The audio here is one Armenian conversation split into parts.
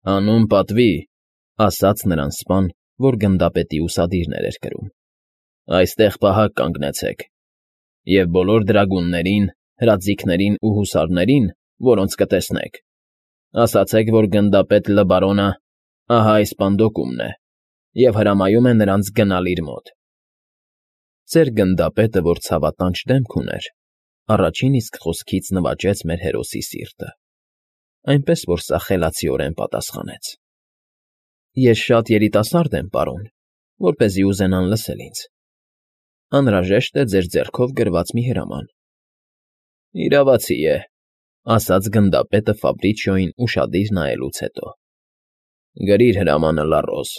Հանուն պատվի, ասաց նրան սպան, որ գնդապետի ուսադիրներ էր կրում, այստեղ պահակ կանգնեցեք, և բոլոր դրագուններին, հրաձիգներին ու հուսարներին, որոնց կտեսնեք, ասացեք, որ գնդապետ Լըբարոնը ահա այս պանդոկումն է և հրամայում է նրանց գնալ իր մոտ։ Ծեր գնդապետը, որ ցավատանչ դեմք ուներ, առաջին իսկ խոսքից նվաճեց մեր հերոսի սիրտը, այնպես որ սա խելացիորեն պատասխանեց. Ես շատ երիտասարդ եմ, պարոն, որպեսզի ուզենան լսել ինձ. անհրաժեշտ է ձեր ձեռքով գրված մի հրաման։ Իրավացի է, ասաց գնդապետը Ֆաբրիչիոյին ուշադիր նայելուց հետո։ Գրիր հրամանը, Լարրոզ,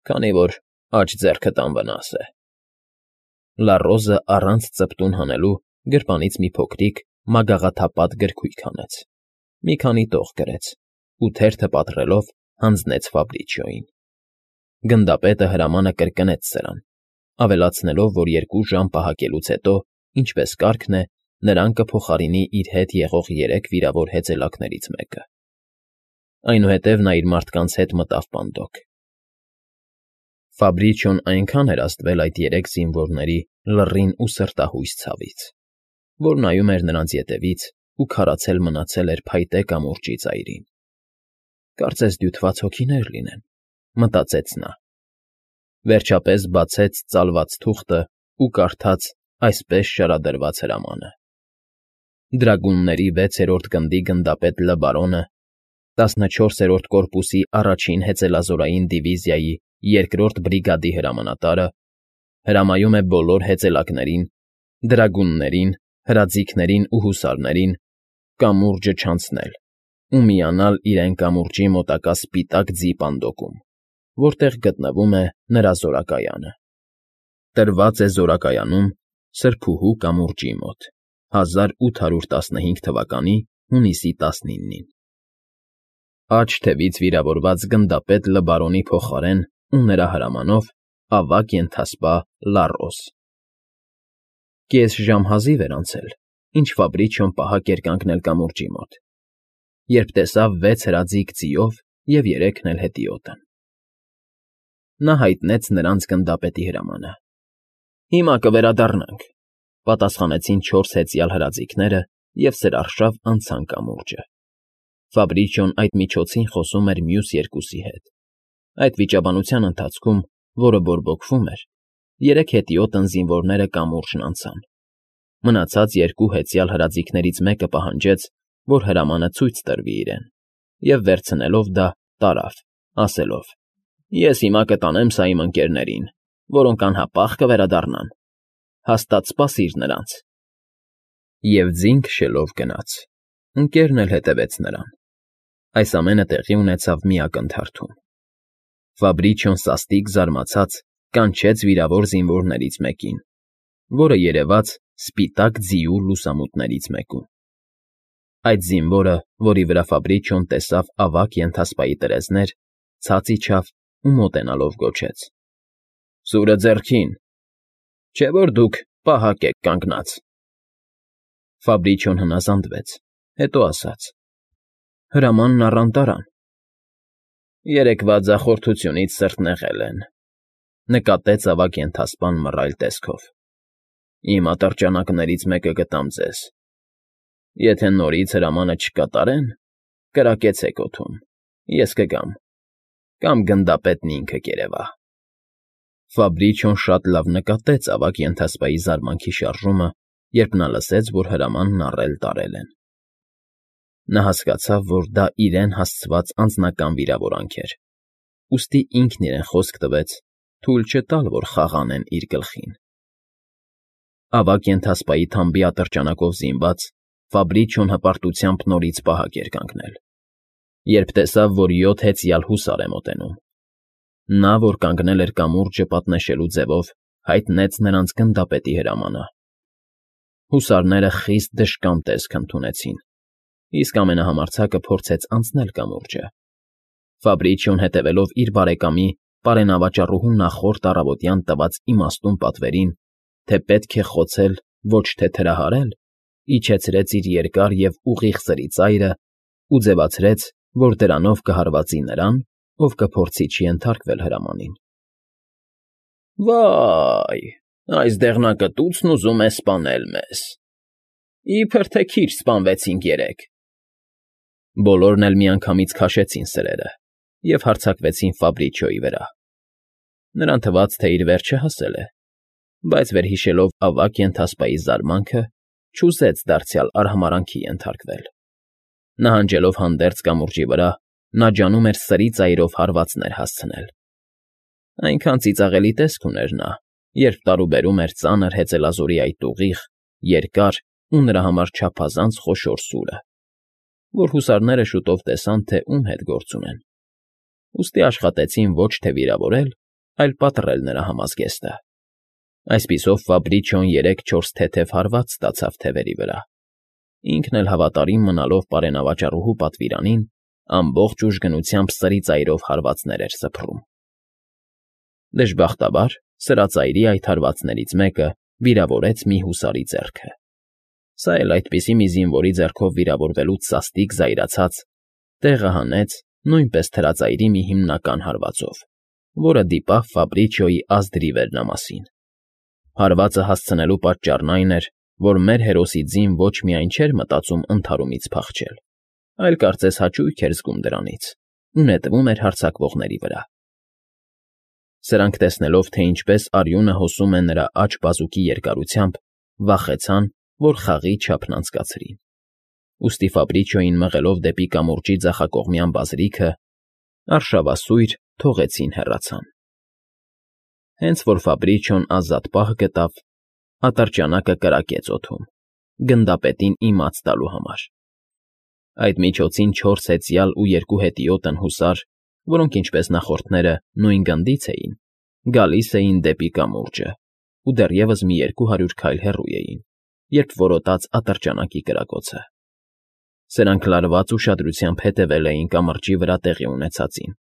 քանի որ աջ ձեռքդ անվնաս է։ Լարրոզը առանց ծպտուն հանելու գրպանից մի փոքրիկ մագաղաթափատ գրքույկ հանեց, մի քանի տող գրեց ու թերթը պատռելով հանձնեց Ֆաբրիչիոյին։ Գնդապետը հրամանը կրկնեց սրան, ավելացնելով, որ 2 ժամ պահակելուց հետո, ինչպես կարգն է, նրան կփոխարինի իր հետ եղող 3 վիրավոր հեծելակներից մեկը։ Այնուհետև նա իր մարդկանց հետ մտավ պանդոկ։ Ֆաբրիչիոն այնքան էր ազդվել այդ 3 զինվորների լռին ու սրտահույս ցավից, որ նայում էր նրանց ետևից ու քարացել մնացել էր փայտե կամուրջի ծայրին։ Կարծես դյութված հոգիներ լինեն, մտածեց նա։ Վերջապես բացեց ծալված թուղթը ու կարդաց այսպես շարադրված հրամանը. Դրագունների 6-րդ գնդի գնդապետ Լըբարոնը 14-րդ կորպուսի առաջին հեծելազորային դիվիզիայի 2-րդ բրիգադի հրամանատարը հրամայում է բոլոր հեծելակներին, դրագուններին, հրաձիգներին ու հուսարներին կամուրջը չանցնել ու միանալ իրեն կամուրջի մոտակա սպիտակ ձի պանդոկում, որտեղ գտնվում է նրա զորակայանը։ Տրված է զորակայանում Սրբուհու կամուրջի մոտ 1815 թվականի հունիսի 19-ին։ Աջ թևից վիրավորված գնդապետ Լըբարոնի փոխարեն ու նրա հրամանով ավագ ենթասպա Լարրոս։ Կես ժամ հազիվ էր անցել, ինչ Ֆաբրիչիոն պահակ էր կանգնել կամուրջի մոտ, երբ տեսավ 6 հրաձիգ ձիով և 3-ն էլ հետիոտն։ Նա հայտնեց նրանց գնդապետի հրամանը։ Հիմա կվերադառնանք, պատասխանեցին 4 հեծյալ հրաձիգները և սրարշավ անցան կամուրջը։ Ֆաբրիչիոն այդ միջոցին խոսում էր մյուս 2-ի հետ։ Այդ վիճաբանության ընթացքում, որը բորբոքվում էր, 3 հետիոտն զինվորները կամուրջն անցան։ Մնացած 2 հեծյալ հրաձիգներից մեկը պահանջեց, որ հրամանը ցույց տրվի իրեն, և վերցնելով դա տարավ, ասելով. Ես հիմա կտանեմ սա իմ ընկերներին, որոնք անհապաղ կվերադառնան, հաստատ սպասիր նրանց։ Եվ ձին քշելով գնաց, ընկերն էլ հետևեց նրան։ Այս ամենը տեղի ունեցավ մի ակնթարթում։ Ֆաբրիչիոն սաստիկ զարմացած կանչեց վիրավոր զինվորներից մեկին, որը երևաց սպիտակ ձիու լուսամուտներից մեկում։ Այդ զինվորը, որի վրա Ֆաբրիչիոն տեսավ ավագ ենթասպայի տրեզներ, ցած իջավ ու մոտենալով գոչեց. Սուրը ձեռքին, չէ՞ որ դուք պահակ եք կանգնած։ Ֆաբրիչիոն հնազանդվեց, հետո ասաց. Հրամանն առան տարան։ Երեկվա ձախորդությունից սրտնեղել են, նկատեց ավագ ենթասպան մռայլ տեսքով։ Իմ ատրճանակներից մեկը կտամ ձեզ։ Եթե նորից հրամանը չկատարեն, կրակեցեք օդում, ես կգամ, կամ գնդապետն ինքը կերևա։ Ֆաբրիչիոն շատ լավ նկատեց ավագ ենթասպայի զարմանքի շարժումը, երբ նա լսեց, որ հրամանն առել տարել են։ Նա հասկացավ, որ դա իրեն հասցված անձնական վիրավորանք էր, ուստի ինքն իրեն խոսք տվեց թույլ չտալ, որ խաղ անեն իր գլխին։ Ավագ ենթասպայի թամբի ատրճանակով զինված Ֆաբրիչիոն հպարտությամբ նորից պահակ էր կանգնել, երբ տեսավ, որ 7 հեծյալ հուսար է մոտենում։ Նա, որ կանգնել էր կամուրջը պատնեշելու ձևով, հայտնեց նրանց գնդապետի հրամանը։ Հուսարները խիստ դժկամ տեսք ընդունեցին, իսկ ամենահամարձակը փորձեց անցնել կամուրջը։ Ֆաբրիչիոն հետևելով իր բարեկամի պարենավաճառուհու նախորդ առավոտյան տված իմաստուն պատվերին, թե պետք է խոցել, ոչ թե թրահարել, իջեցրեց իր երկար և ուղիղ սրի ծայրը ու ձևացրեց, որ դրանով կհարվածի նրան, ով կփորձի չենթարկվել հրամանին։ Վայ, այս դեղնակտուցն ուզում է սպանել մեզ, իբր թե քիչ սպանվեցինք երեկ։ Բոլորն էլ միանգամից քաշեցին սրերը և հարձակվեցին Ֆաբրիչիոյի վրա։ Նրան թվաց, թե իր վերջը հասել է, բայց վերհիշելով ավագ ենթասպայի զարմանքը, չուզեց դարձյալ արհամարանքի ենթարկվել։ Նահանջելով հանդերձ կամուրջի վրա, նա ջանում էր սրի ծայրով հարվածներ հասցնել։ Այնքան ծիծաղելի տեսք ուներ նա, երբ տարուբերում էր ծանր հեծելազորի այդ ուղիղ, երկար ու նրա համար չափազանց խոշոր սուրը, որ հուսարները շուտով տեսան, թե ում հետ գործ ունեն։ Ուստի աշխատեցին ոչ թե վիրավորել, այլ պատռել նրա համազգեստը։ Այսպիսով Ֆաբրիչիոն 3-4 թեթև հարված ստացավ թևերի վրա։ Ինքն էլ հավատարիմ մնալով պարենավաճառուհու պատվիրանին, ամբողջ ուժգնությամբ սրի ծայրով հարվածներ էր սփռում։ Դժբախտաբար, սրածայրի այդ հարվածներից մեկը վիրավորեց մի հուսարի ձեռքը։ Սա էլ այդպիսի մի զինվորի ձեռքով վիրավորվելուց սաստիկ զայրացած, տեղը հանեց նույնպես թրածայրի մի հիմնական հարվածով, որը դիպավ Ֆաբրիչիոյի ազդրի վերնամասին։ Հարվածը հասցնելու պատճառն այն էր, որ մեր հերոսի ձին ոչ միայն չէր մտածում ընդհարումից փախչել, այլ կարծես հաճույք էր զգում դրանից ու նետվում էր հարձակվողների վրա։ Սրանք տեսնելով, թե ինչպես արյունը հոսում է նրա աջ բազուկի երկարությամբ, վախեցան, որ խաղի չափն անցկացրին։ Ուստի Ֆաբրիչիոյին մղելով դեպի կամուրջի ձախակողմյան բազրիքը, արշավասույր թողեցին հեռացան։ Հենց որ Ֆաբրիչիոն ազատ պահ գտավ, ատրճանակը կրակեց օդում, գնդապետին իմաց տալու համար։ Այդ միջոցին 4 հեծյալ ու 2 հետիոտն հուսար, որոնք ինչպես նախորդները նույն գնդից էին, գալիս էին դեպի կամուրջը ու դեռևս մի 200 քայլ հեռու էին, երբ որոտաց ատրճանակի կրակոցը։ Սրանք լարված ուշադրությամբ հետևել էին կամրջի վրա տեղի ունեցածին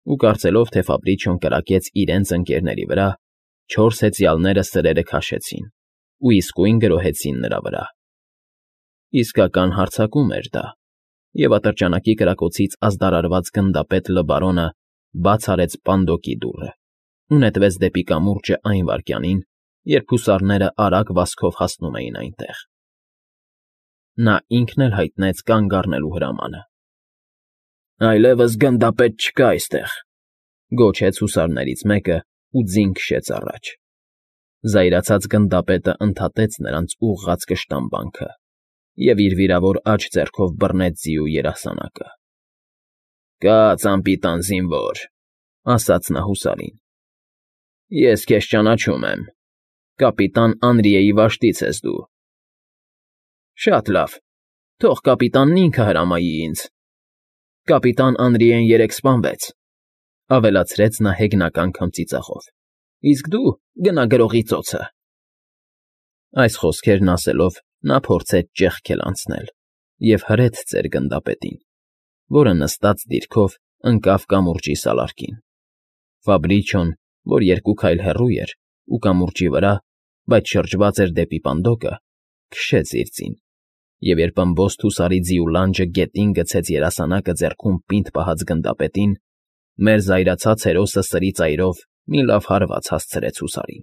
ու կարծելով, թե Ֆաբրիչիոն կրակեց իրենց ընկերների վրա, 4 հեծյալները սրերը քաշեցին ու իսկույն գրոհեցին նրա վրա։ Իսկական հարձակում էր դա, և ատրճանակի կրակոցից ազդարարված գնդապետ Լբարոնը բաց արեց պանդոկի դուռը ու նետվեց դեպի կամուրջը այն վայրկյանին, երբ հուսարները արագ վազքով հասնում էին այնտեղ։ Նա ինքն էլ հայտնեց կանգ առնելու հրամանը։ «Այլևս գնդապետ չկա այստեղ», ֊ գոչեց հուսարներից մեկը ու ձին քշեց առաջ։ Զայրացած գնդապետը ընդհատեց նրանց ուղղած կշտամբանքը և իր վիրավոր աջ ձեռքով բռնեց ձիու երասանակը։ «Կաց, անպիտան զինվոր», ֊ ասաց նա հուսարին։ «Ես քեզ ճանաչում եմ, կապիտան Անրիեի վաշտից ես դու»։ «Շատ լավ, թող կապիտանն ինքը հրամայի ինձ։ Կապիտան Անրիեն երեկ սպանվեց», ֊ ավելացրեց նա հեգնական քմծիծաղով։ «Իսկ դու գնա գրողի ծոցը»։ Այս խոսքերն ասելով նա փորձեց ճեղքել անցնել և հրեց ծեր գնդապետին, որը նստած դիրքով ընկավ կամուրջի սալարկին։ Ֆաբրիչիոն, որ 2 քայլ հեռու էր ու կամուրջի վրա, բայց շրջված էր դեպի պանդոկը, քշեց իր ձին, և երբ ըմբոստ հուսարի ձիու լանջը գետին գցեց երասանակը ձեռքում պինդ պահած գնդապետին, մեր զայրացած հերոսը սրի ծայրով մի լավ հարված հասցրեց հուսարին։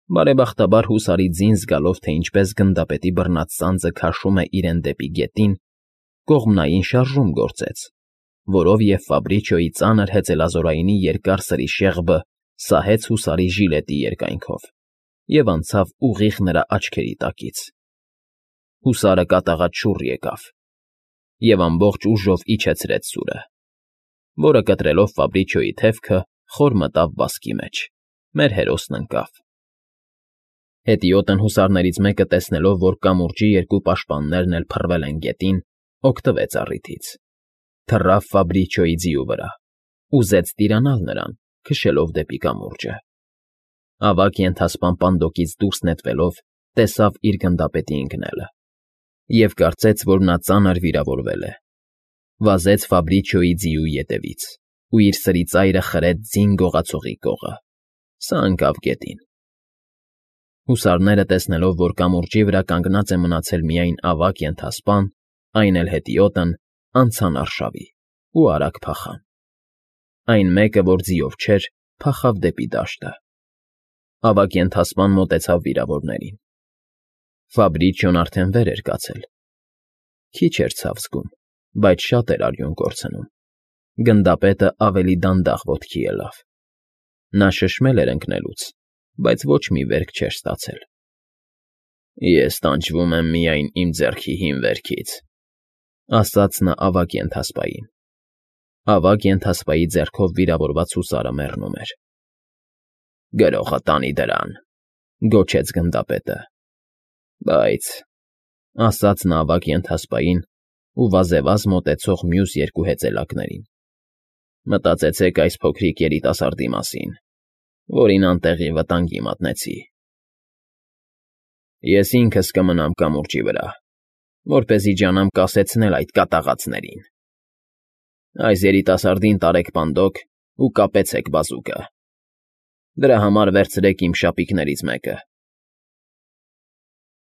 Բարեբախտաբար հուսարի ձին զգալով, թե ինչպես գնդապետի բռնած սանձը քաշում է իրեն դեպի գետին, կողմնային շարժում գործեց, որով և Ֆաբրիչիոյի ծանր հեծելազորայինի երկար սրի շեղբը սահեց հուսարի ժիլետի երկայնքով և անցավ ուղիղ նրա աչքերի տակից։ Հուսարը կատաղած շուռ եկավ և ամբողջ ուժով իջեցրեց սուրը, որը կտրելով Ֆաբրիչիոյի թևքը խոր մտավ վազքի մեջ։ Մեր հերոսն ընկավ։ Հետիոտն հուսարներից մեկը տեսնելով, որ կամուրջի 2 պաշտպաններն էլ փռվել են գետին, օգտվեց առիթից, թռավ Ֆաբրիչիոյի ձիու վրա, ուզեց տիրանալ նրան, քշելով դեպի կամուրջը։ Ավագ ենթասպան պանդոկից դուրս նետվելով, տեսավ իր գնդապետի ընկնելը և կարծեց, որ նա ծանր վիրավորվել է։ Վազեց Ֆաբրիչիոյի ձիու ետևից ու իր սրի ծայրը խրեց ձին գողացողի կողը։ Սա ընկավ գետին։ Հուսարները տեսնելով, որ կամուրջի վրա կանգնած է մնացել միայն ավագ ենթասպան, այն էլ հետիոտն, անցան արշավի ու արագ փախան։ Այն մեկը, որ ձիով չէր, փախավ դեպի դաշտը։ Ավագ ենթասպան մոտեցավ վիրավորներին։ Ֆաբրիչիոն արդեն վեր էր կացել։ Քիչ էր ցավ զգում, բայց շատ էր արյուն կորցնում։ Գնդապետը ավելի դանդաղ ոտքի ելավ։ Նա շշմել էր ընկնելուց, բայց ոչ մի վերք չէր ստացել։ Ես տանջվում եմ միայն իմ ձեռքի հին վերքից, ասաց նա ավագ ենթասպային։ Ավագ ենթասպայի ձեռքով վիրավորված հուսարը մեռնում էր։ Գրողը տանի դրան, գոչեց գնդապետը։ Բայց, ասաց նա ավագ ենթասպային ու վազեվազ մոտեցող մյուս երկու հեծելակներին, մտածեցեք այս փոքրիկ երիտասարդի մասին, որին անտեղի վտանգի մատնեցի։ Ես ինքս կմնամ կամուրջի վրա, որպեսզի ջանամ կասեցնել այդ կատաղածներին։ Այս երիտասարդին տարեք պանդոկ ու կապեցեք բազուկը։ Դրա համար վերցրեք իմ շապիկներից մեկը